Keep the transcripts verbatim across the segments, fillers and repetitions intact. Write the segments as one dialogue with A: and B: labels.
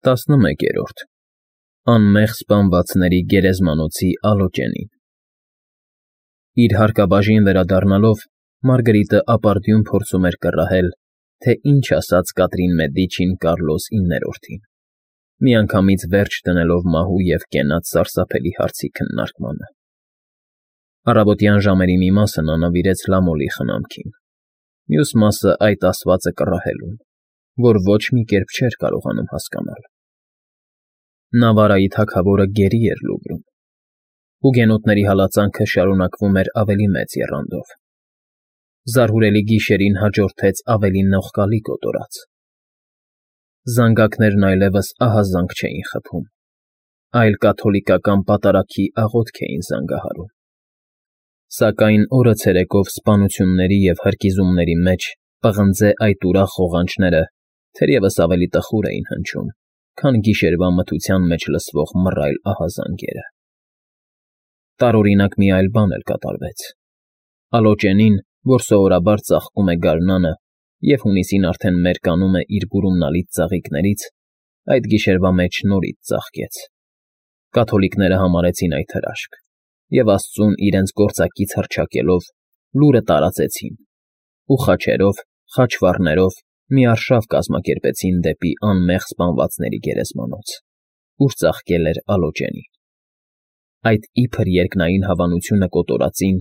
A: տասնմեկերորդ Անմեղ սպանվածների գերեզմանոցի Ալոճենին Իր հարկաբաժին վերադառնալով Մարգարիտը ապարդյուն փորձում էր կռահել, թե ինչ ասաց Կատրին Մեդիչին Կարլոս իններորդին, միանգամից վերջ դնելով մահու և կենաց սարսափելի հարցի քննարկմանը։ Առավոտյան ժամերի մի մասը նա նվիրեց Լամոլի խնամքին, մյուս մասը այդ ասվածը կռահելուն, որ ոչ մի կերպ չէր կարողանում հասկանալ։ Նավարայի թագավորը գերի էր լուգրում։ Հուգենոտների հալածանքը շարունակվում էր ավելի մեծ եռանդով։ Զարհուրելի գիշերին հաջորդեց ավելի նողկալի կոտորած։ Զանգակներն այլևս ահազանգ չէին խփում, այլ կաթոլիկական պատարագի աղոթք էին զանգահարում։ Սակայն օրը ցերեկով սպանությունների և հրկիզումների մեջ պղնձե այդ ուրախ ղողանջները թերևս ավելի տխուր էին հնչում, քան գիշերվա մթության մեջ լսվող մռայլ ահազանգերը։ Տարօրինակ մի այլ բան էլ կատարվեց։ Ալոճենին, որ սովորաբար ծաղկում է գարնանը և հունիսին արդեն մերկանում է իր բուրումնալից ծաղիկներից, այդ գիշերվա մեջ նորից ծաղկեց։ Կաթոլիկները համարեցին այդ հրաշք և աստծուն իրենց գործակից հռչակելով լուրը տարածեցին ու խաչերով, խաչվառներով մի արշավ կազմակերպեցին դեպի անմեղ սպանվածների գերեզմանոց, ուր ծաղկել էր Ալոճենին։ Այդ իբր երկնային հավանությունը կոտորածին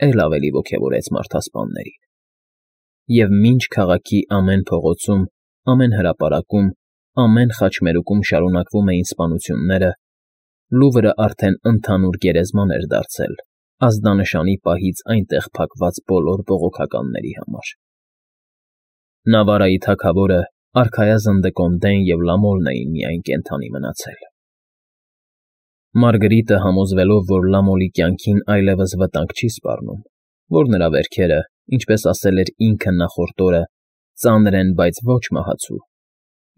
A: էլ ավելի ոգևորեց մարդասպաններին։ Եվ մինչ քաղաքի ամեն փողոցում, ամեն հրապարակում, ամեն խաչմերուկում շարունակվում էին սպանությունները, Լուվրը արդեն ընդհանուր գերեզման էր դարձել ազդանշանի պահից այնտեղ փակված բոլոր բողոքականների համար։ Նավարայի թագավորը, արքայազն Դեկոնդեն և Լամոլն էին միայն կենդանի մնացել։ Մարգարիտը, համոզվելով, որ Լամոլի կյանքին այլևս վտանգ չի սպառնում, որ նրա վերքերը, ինչպես ասել էր ինքը նախորդ օրը, ծանր են, բայց ոչ մահացու,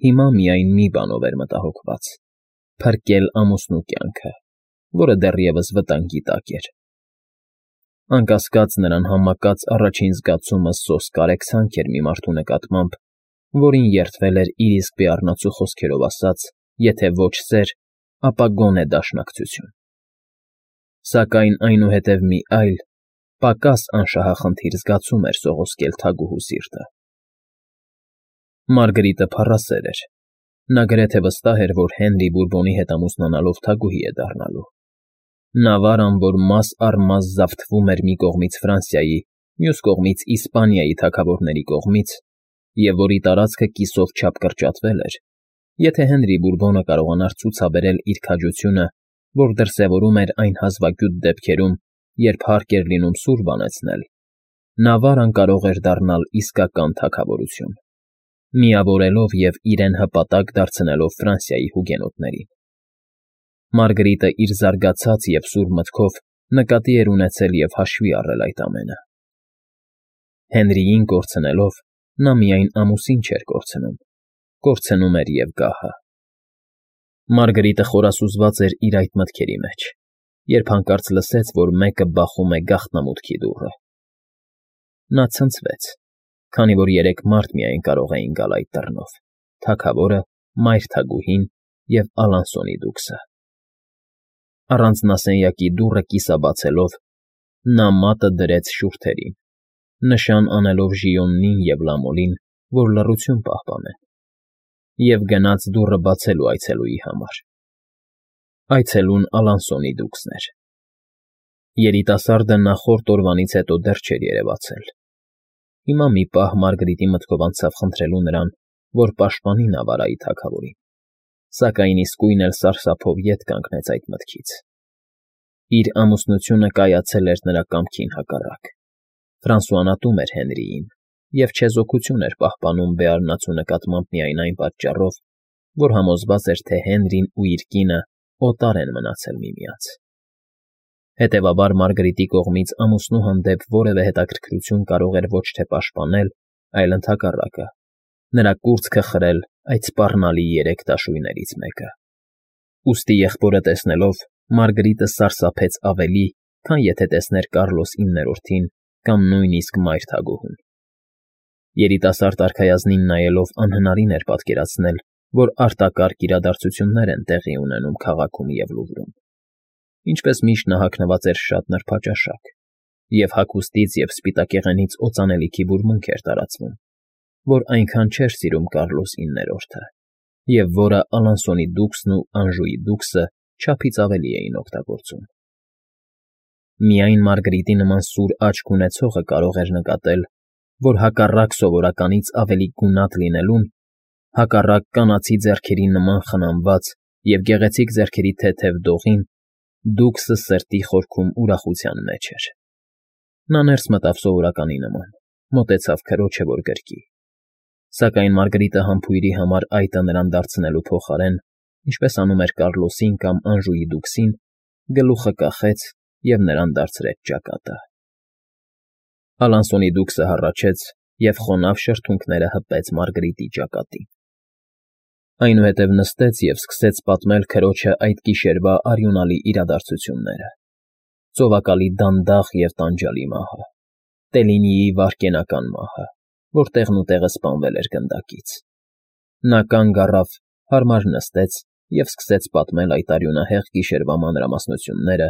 A: հիմա միայն մի բանով էր մտահոգված՝ փրկել ամուսնու կյանքը, որը դեռևս վտանգի տակ էր։ Անկասկած, նրան համակած առաջին զգացումը սոսկ կարեկցանք էր մի մարդու նկատմամբ, որին երդվել էր իր իսկ բեառնացու խոսքերով ասած, եթե ոչ սեր, ապա գոնե դաշնակցություն։ Սակայն այնուհետև մի այլ, պակաս անշահախնդիր զգացում էր սողոսկել թագուհու սիրտը։ Մարգարիտը փառասեր էր։ Նա գրեթե վստահ էր, որ Հենրի Բուրբոնի հետ ամուսնանալով թագուհի է դառնալու։ Նավարան, որ մաս առ մաս զավթվում էր մի կողմից Ֆրանսիայի, մյուս կողմից Իսպանիայի թագավորների կողմից, և որի տարածքը կիսով չափ կրճատվել էր, եթե Հենրի Բուրբոնը կարողանար ցուցաբերել իր քաջությունը, որ դրսևորում էր այն հազվագյուտ դեպքերում, երբ հարկ էր լինում սուր բանեցնել, Նավարան կարող էր դառնալ իսկական թագավորություն, միավորելով և իրեն հպատակ դարձնելով Ֆրանսիայի հուգենոտներին։ Մարգարիտը իր զարգացած և սուր մտքով նկատի էր ունեցել և հաշվի առել այդ ամենը։ Հենրիին կորցնելով՝ նա միայն ամուսին չէր կորցնում, կորցնում էր և գահը։ Մարգարիտը խորասուզված էր իր այդ մտքերի մեջ, երբ հանկարծ լսեց, որ մեկը բախում է գաղտնամուտքի դուռը։ Նա ցնցվեց, քանի որ երեք մարդ միայն կարող էին գալ այդ դռնով՝ թագավորը, մայր թագուհին և Ալանսոնի դուքսը։ Առանձնասենյակի դուռը կիսաբացելով՝ նա մատը դրեց շուրթերին, նշան անելով Ժիոնին և Լամոլին, որ լռություն պահպանեն, և գնաց դուռը բացելու այցելուի համար։ Այցելուն Ալանսոնի դուքսն էր։ Երիտասարդը նախորդ օրվանից հետո դեռ չէր երևացել։ Հիմա մի պահ Մարգարիտի մտքով անցավ խնդրելու նրան, որ պաշտպանի Նավարայի թագավորին, սակայն իսկույն էլ սարսափով ետ կանգնեց այդ մտքից։ Իր ամուսնությունը կայացել էր նրա կամքին հակառակ։ Ֆրանսուան ատում էր Հենրիին և չեզոքություն էր պահպանում բեառնացու նկատմամբ միայն այն պատճառով, որ համոզված էր, թե Հենրին ու իր կինը օտար են մնացել միմյանց։ Հետևաբար Մարգարիտի կողմից ամուսնու հանդեպ որևէ հետաքրքրություն կարող էր ոչ թե պաշտպանել, այլ ընդհակառակը, նրա կուրծքը խրել այդ սպառնալի երեք դաշույններից մեկը։ Ուստի եղբորը տեսնելով՝ Մարգարիտը սարսափեց ավելի, քան եթե տեսներ Կարլոս իններորդին կամ նույնիսկ մայր թագուհուն։ Երիտասարդ արքայազնին նայելով անհնարին էր պատկերացնել, որ արտակարգ իրադարձություններ են տեղի ունենում քաղաքում և Լուվրում. ինչպես միշտ նա հագնված էր շատ նրբաճաշակ, և հագուստից և սպիտակեղենից օծանելիքի բուրմունք էր տարածվում, որ այնքան չէր սիրում Կառլոս իններորդը, և որը Ալանսոնի դուքսն ու Անժուի դուքսը չափից ավելի էին օգտագործում։ Միայն Մարգրիտի նման սուր աչք ունեցողը կարող էր նկատել, որ հակառակ սովորականից ավելի գունատ լինելուն, հակառակ կանացի ձեռքերի նման խնամված և գեղեցիկ ձեռքերի թեթև դողին, դուքսը սրտի խորքում ուրախության մեջ էր։ Նա ներս մտավ սովորականի նման, մոտեցավ քրոջը, որ գրկի, սակայն Մարգրիտը համբույրի համար այտը նրան դարձնելու փոխարեն, ինչպես անում էր Կառլոսին կամ Անժուի դուքսին, գլուխը կախեց և նրան դարձրեց ճակատը։ Ալանսոնի դուքսը հառաչեց և խոնավ շրթունքները հպեց Մարգրիտի ճակատին։ Այնուհետև նստեց և սկսեց պատմել քրոջը այդ գիշերվա արյունալի իրադարձությունները. ծովակալի դանդաղ և տանջալի մահը, Տելինիի վայրկենական մահը, որ տեղնուտեղը սպանվել էր գնդակից։ Նա կանգ առավ, հարմար նստեց և սկսեց պատմել այդ արյունահեղ գիշերվա մանրամասնությունները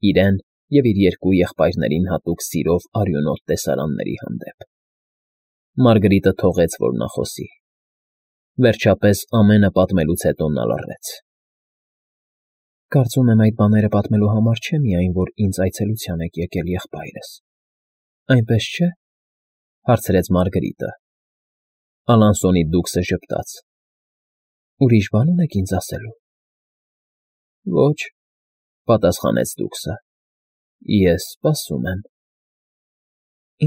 A: իրեն և իր երկու եղբայրներին հատուկ սիրով արյունոտ տեսարանների հանդեպ։ Մարգրիտը թողեց, որ նա խոսի։ Վերջապես ամենը պատմելուց հետո նա լռեց։ Կարծում եմ, այդ բաները պատմելու համար չէ միայն, որ ինձ այցելության եք եկել, եղբայրս, այնպես չէ՞, հարցրեց Մարգրիտը։ Ալանսոնի դուքսը ժպտաց։ Ուրիշ բան ունեք ինձ ասելու։ Ոչ, պատասխանեց դուքսը։ Ես սպասում եմ։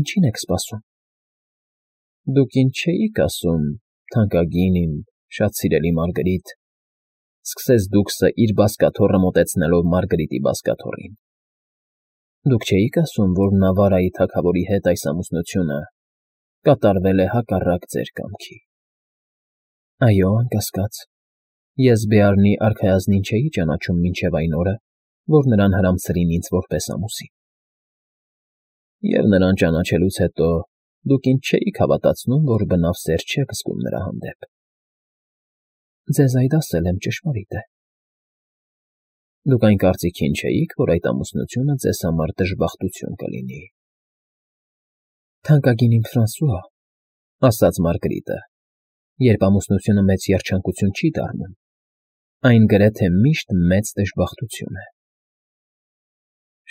A: Ինչի՞ն եք սպասում։ Դուք ինձ չէիք ասում, թանկագին իմ, շատ սիրելի Մարգրիտ, սկսեց դուքսը իր բազկաթոռը մոտեցնելով Մարգրիտի բազկաթոռին։ Դուք չէիք ասում, որ Նավարայի թագավորի հետ այս ամուսնությունը կատարվել է հակառակ ձեր կամքի։ Այո, անկասկած, ես Բեարնի արքայազնին չէի ճանաչում մինչև այն օրը, որ նրան հրամցրին ինձ որպես ամուսին։ Եվ նրան ճանաչելուց հետո դուք ինձ չէիք հավատացնում, որ բնավ սեր չեք զգում նրա հանդեպ։ Ձեզ այդ ասել եմ, ճշմարիտ է։ Դուք այն կարծիքին չէիք, որ այդ ամուսնությունը ձեզ համար դժբախտություն կլինի։ Թանկագին իմ Ֆրանսուଆ, ասաց Մարգրիտը, երբ ամուսնությունը մեծ երջանկություն չի դառնում, այն գրեթե միշտ մեծ դժբախտություն է։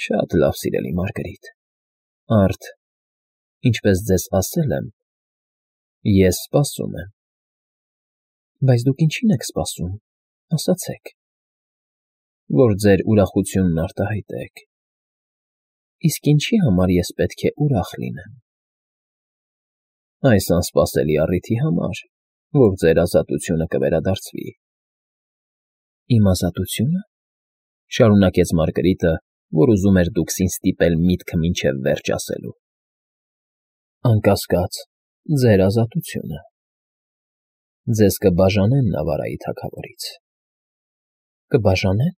A: Շատ լավ, սիրելի Մարգրիտ, արդ, ինչպես ձեզ ասել եմ, ես սպասում եմ։ Բայց դուք ինչի՞ն եք սպասում, ասացեք։ Որ ձեր ուրախությունն արտահայտեք։ Իսկ ինչի համար ես պետք է ուրախ լինեմ։ Այս անսպասելի առիթի համար, որ ձեր ազատությունը կվերադարձվի։ Իմ ազատությո՞ւնը, շարունակեց Մարգրիտը, որ ուզում էր դուքսին ստիպել միտքը մինչև վերջ ասելու։ Անկասկած, ձեր ազատությունը։ Ձեզ կբաժանեն Նավարայի թագավորից։ Կբաժանե՞ն,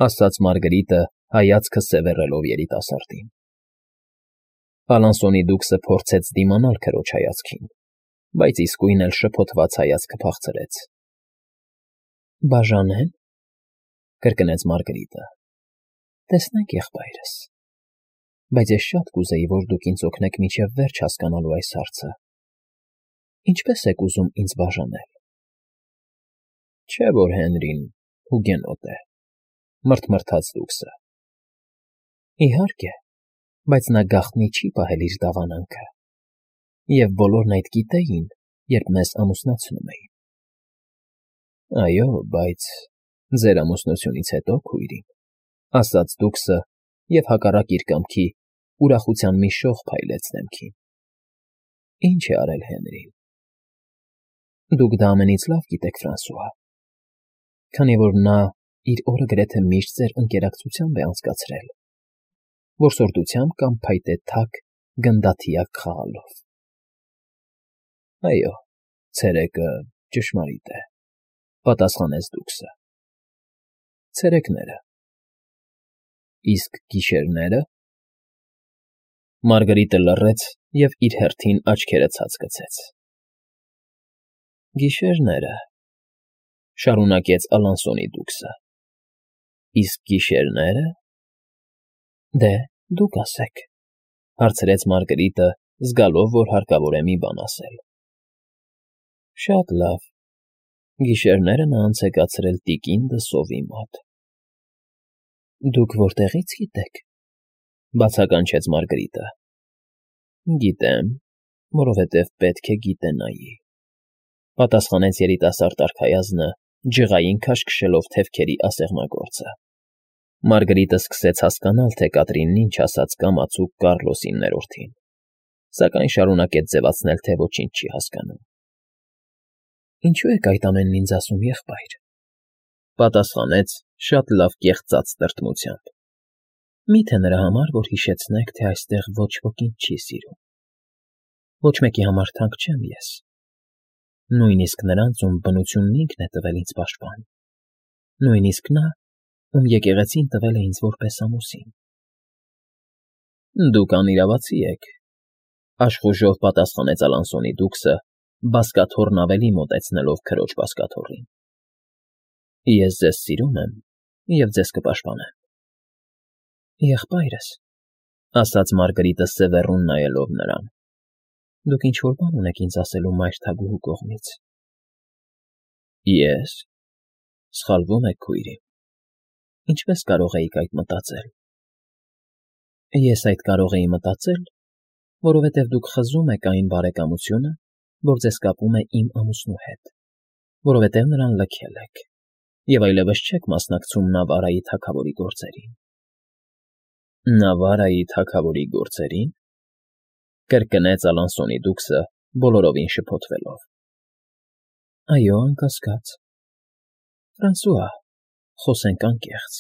A: ասաց Մարգրիտը, հայացքը սևեռելով երիտասարդին։ Ալանսոնի դուքսը փորձեց դիմանալ քրոջ հայացքին, բայց իսկույն էլ շփոթված հայացքը փախցրեց։ Բաժանե՞ն, կրկնեց Մարգրիտը։ Տեսնենք, եղբայրս, բայց ես շատ կուզեի, որ դուք ինձ օգնեք մինչև վերջ հասկանալու այս հարցը։ Ինչպե՞ս եք ուզում ինձ բաժանել։ Չէ՞ որ Հենրին հուգենոտ է, մռթմռթաց դուքսը։ Իհարկե, բայց նա գաղտնի չի պահել իր դավանանքը, և բոլորն այդ գիտեին, երբ մեզ ամուսնացնում էին։ Այո, բայց ձեր ամուսնությունից հետո, քույրիկ, ասաց դուքսը և հակառակ իր կամքի ուրախության մի շող փայլեց դեմքին։ Ինչ է արել Հենրին։ Դուք դա ամենից լավ գիտեք, Ֆրանսուଆ, քանի որ նա իր օրը գրեթե միշտ ձեր ընկերակցությամբ է անցկացրել, որսորդությամբ կամ փայտե թակ գնդաթիակ խաղալով։ Այո, ցերեկը ճշմարիտ է, պատասխանեց դուքսը։ Ցերեկները։ Իսկ գիշերնե՞րը։ Մարգրիտը լռեց և իր հերթին աչքերը ցած գցեց։ Գիշերները, Շարունակեց Ալանսոնի դուքսը։ Իսկ գիշերնե՞րը։ Դե, դուք ասեք,֊ հարցրեց Մարգարիտը, զգալով, որ հարկավոր է մի բան ասել։ Շատ լավ, գիշերները նա անց է կացրել տիկին դսովի մոտ։ Դուք որտեղի՞ց գիտեք,֊ բացականչեց Մարգարիտը։ Գիտեմ, որովհետև պետք է գիտենայի,֊ պատասխանեց երիտասարդ արքայազնը, ջղային քաշքշելով թևքերի ասեղնագործը։ Մարգարիտը սկսեց հասկանալ, թե Կատրինն ինչ ասաց կամացուկ Կառլոսին ներորդին, սակայն շարունակեց ձևացնել, թե ոչինչ չի հասկանում։ Ինչու եք այդ ամենն ինձ ասում, եղբայր,֊ պատասխանեց շատ լավ կեղծած տրտմությամբ։ Մի՞թե նրա համար, որ հիշեցնեք, թե այստեղ ոչ ոք ինձ չի սիրում։ Ոչ մեկի համար թանկ չեմ ես, նույնիսկ նրանց, ում բնությունն ինքն է տվել ինձ պաշտպան, նույնիսկ նա, ում եկեղեցին տվել է ինձ որպես ամուսին։ Դուք անիրավացի եք,֊ աշխուժով պատասխանեց Ալանսոնի դուքսը, բազկաթոռն ավելի մոտեցնելով քրոջ բազկաթոռին։ Ես ձեզ սիրում եմ և ձեզ կպաշտպանեմ։ Եղբայրս,֊ ասաց Մարգարիտը սևեռուն նայելով նրան,֊ դուք ինչ֊որ բան ունեք ինձ ասելու մայր թագուհու կողմից։ Ես,֊ սխալվում եք, քույրիմ։ Ինչպես կարող էիք այդ մտածել։ Ես այդ կարող էի մտածել, որովհետև դուք խզում եք այն բարեկամությունը, որ ձեզ կապում է իմ ամուսնու հետ, որովհետև նրան լքել եք, և այլևս չեք մասնակցում Նավարայի թագավորի գործերին։ Նավարայի թագավորի գործերին,֊ կրկնեց Ալանսոնի դուքսը, բոլորովին շփոթվելով։ Այո, անկասկած։ Ֆրանսուଆ, խոսենք անկեղծ։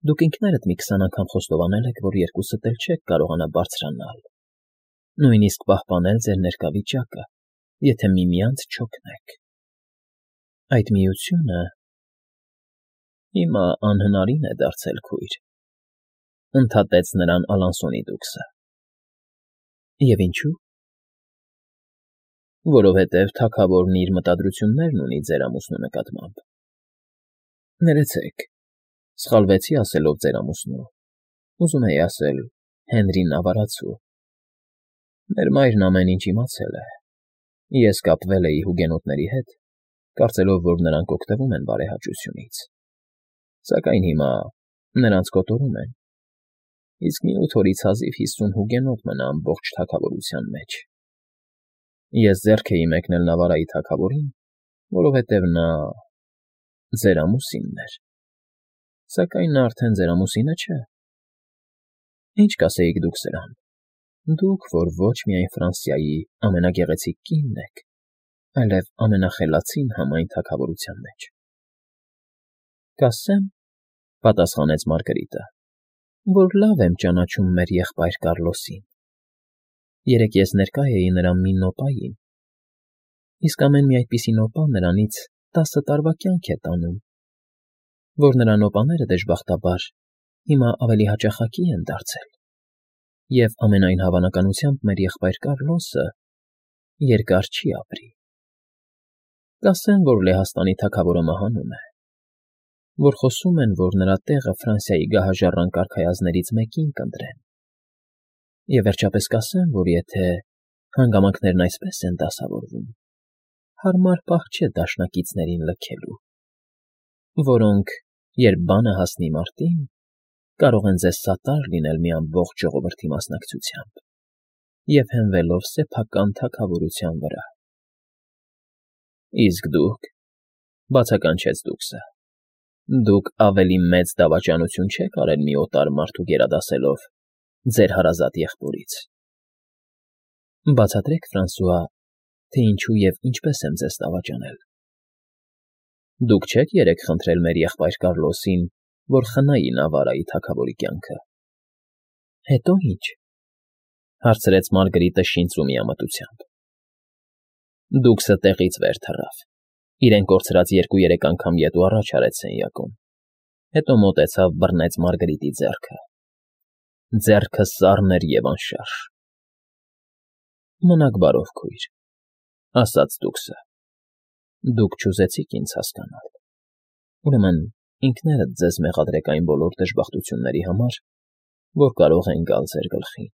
A: Դուք ինքներդ մի քսան անգամ խոստովանել եք, որ երկուսդ էլ չեք կարողանա բարձրանալ, նույնիսկ պահպանել ձեր ներկա վիճակը, եթե միմյանց չօգնեք։ Այդ միությունը… Հիմա անհնարին է դարձել, քույր,֊ ընդհատեց նրան Ալանսոնի դուքսը։ Եվ ինչու՞։ Որովհետև թագավորն իր մտադրություններն ունի ձեր ամուսնու նկատմամբ։ Ներեցեք, սխալվեցի ասելով ձեր ամուսնու, ուզում էի ասել Հենրի Նավարացու։ Մեր մայրն ամեն ինչ իմացել է։ Ես կապվել էի հուգենոտների հետ, կարծելով, որ նրանք օգտվում են բարեհաճությունից, սակայն հիմա նրանց կոտորում են, իսկ մի ութ օրից հազիվ հիսուն հուգենոտ մնա ամբողջ թագավորության մեջ։ Ես ձեռք էի մեկնել Նավարայի թագավորին, որովհետև նա… ձեր ամուսինն էր, սակայն նա արդեն ձեր ամուսինը չէ։ Ինչ կասեիք դուք սրան, դուք, որ ոչ միայն Ֆրանսիայի ամենագեղեցիկ կինն եք, այլև ամենախելացին համայն թագավորության մեջ։ Կասեմ,֊ պատասխանեց Մարգարիտը,֊ որ լավ եմ ճանաչում մեր եղբայր Կառլոսին։ Երեկ ես ներկա էի նրա մի նոպային, իսկ ամեն մի այդպիսի նոպա նրանից տասը տարվա կյանք է տանում, որ նրա նոպաները, դժբախտաբար, հիմա ավելի հաճախակի են դարձել, և ամենայն հավանականությամբ մեր եղբայր Կառլոսը երկար չի ապրի։ Կասեմ, որ Լեհաստանի թագավորը մահանում է, որ խոսում են, որ նրա տեղը Ֆրանսիայի գահաժառանգ արքայազններից մեկին կընտրեն, և վերջապես կասեմ, որ եթե հանգամանքներն այսպես են դասավորվում, հարմար պահ չէ դաշնակիցներին լքելու, որոնք, երբ բանը հասնի մարտին, կարող են ձեզ սատար լինել մի ամբողջ ժողովրդի մասնակցությամբ և հենվելով սեփական թագավորության վրա։ Իսկ դուք,֊ բացականչեց դուքսը, դուք ավելի մեծ դավաճանություն չեք արել մի օտար մարդու գերադասելով ձեր հարազատ եղբորից։ Բացատրեք, Ֆրանսուଆ, թե ինչու և ինչպես եմ ձեզ դավաճանել։ Դուք չեք երեկ խնդրել մեր եղբայր Կառլոսին, որ խնայի Նավարայի թագավորի կյանքը։ Հետո ի՞նչ,֊ հարցրեց Մարգարիտը շինծու միամտությամբ։ Դուքսը տեղից վեր թռավ, իրեն կորցրած երկու֊երեք անգամ ետ ու առաջ արեց սենյակում, հետո մոտեցավ, բռնեց Մարգարիտի ձեռքը։ Ձեռքը սառն էր և անշարժ։ Մնաք բարով, քույր,֊ ասաց դուքսը։ Դուք չուզեցիք ինձ հասկանալ, ուրեմն ինքներդ ձեզ մեղադրեք այն բոլոր դժբախտությունների համար, որ կարող են գալ ձեր գլխին։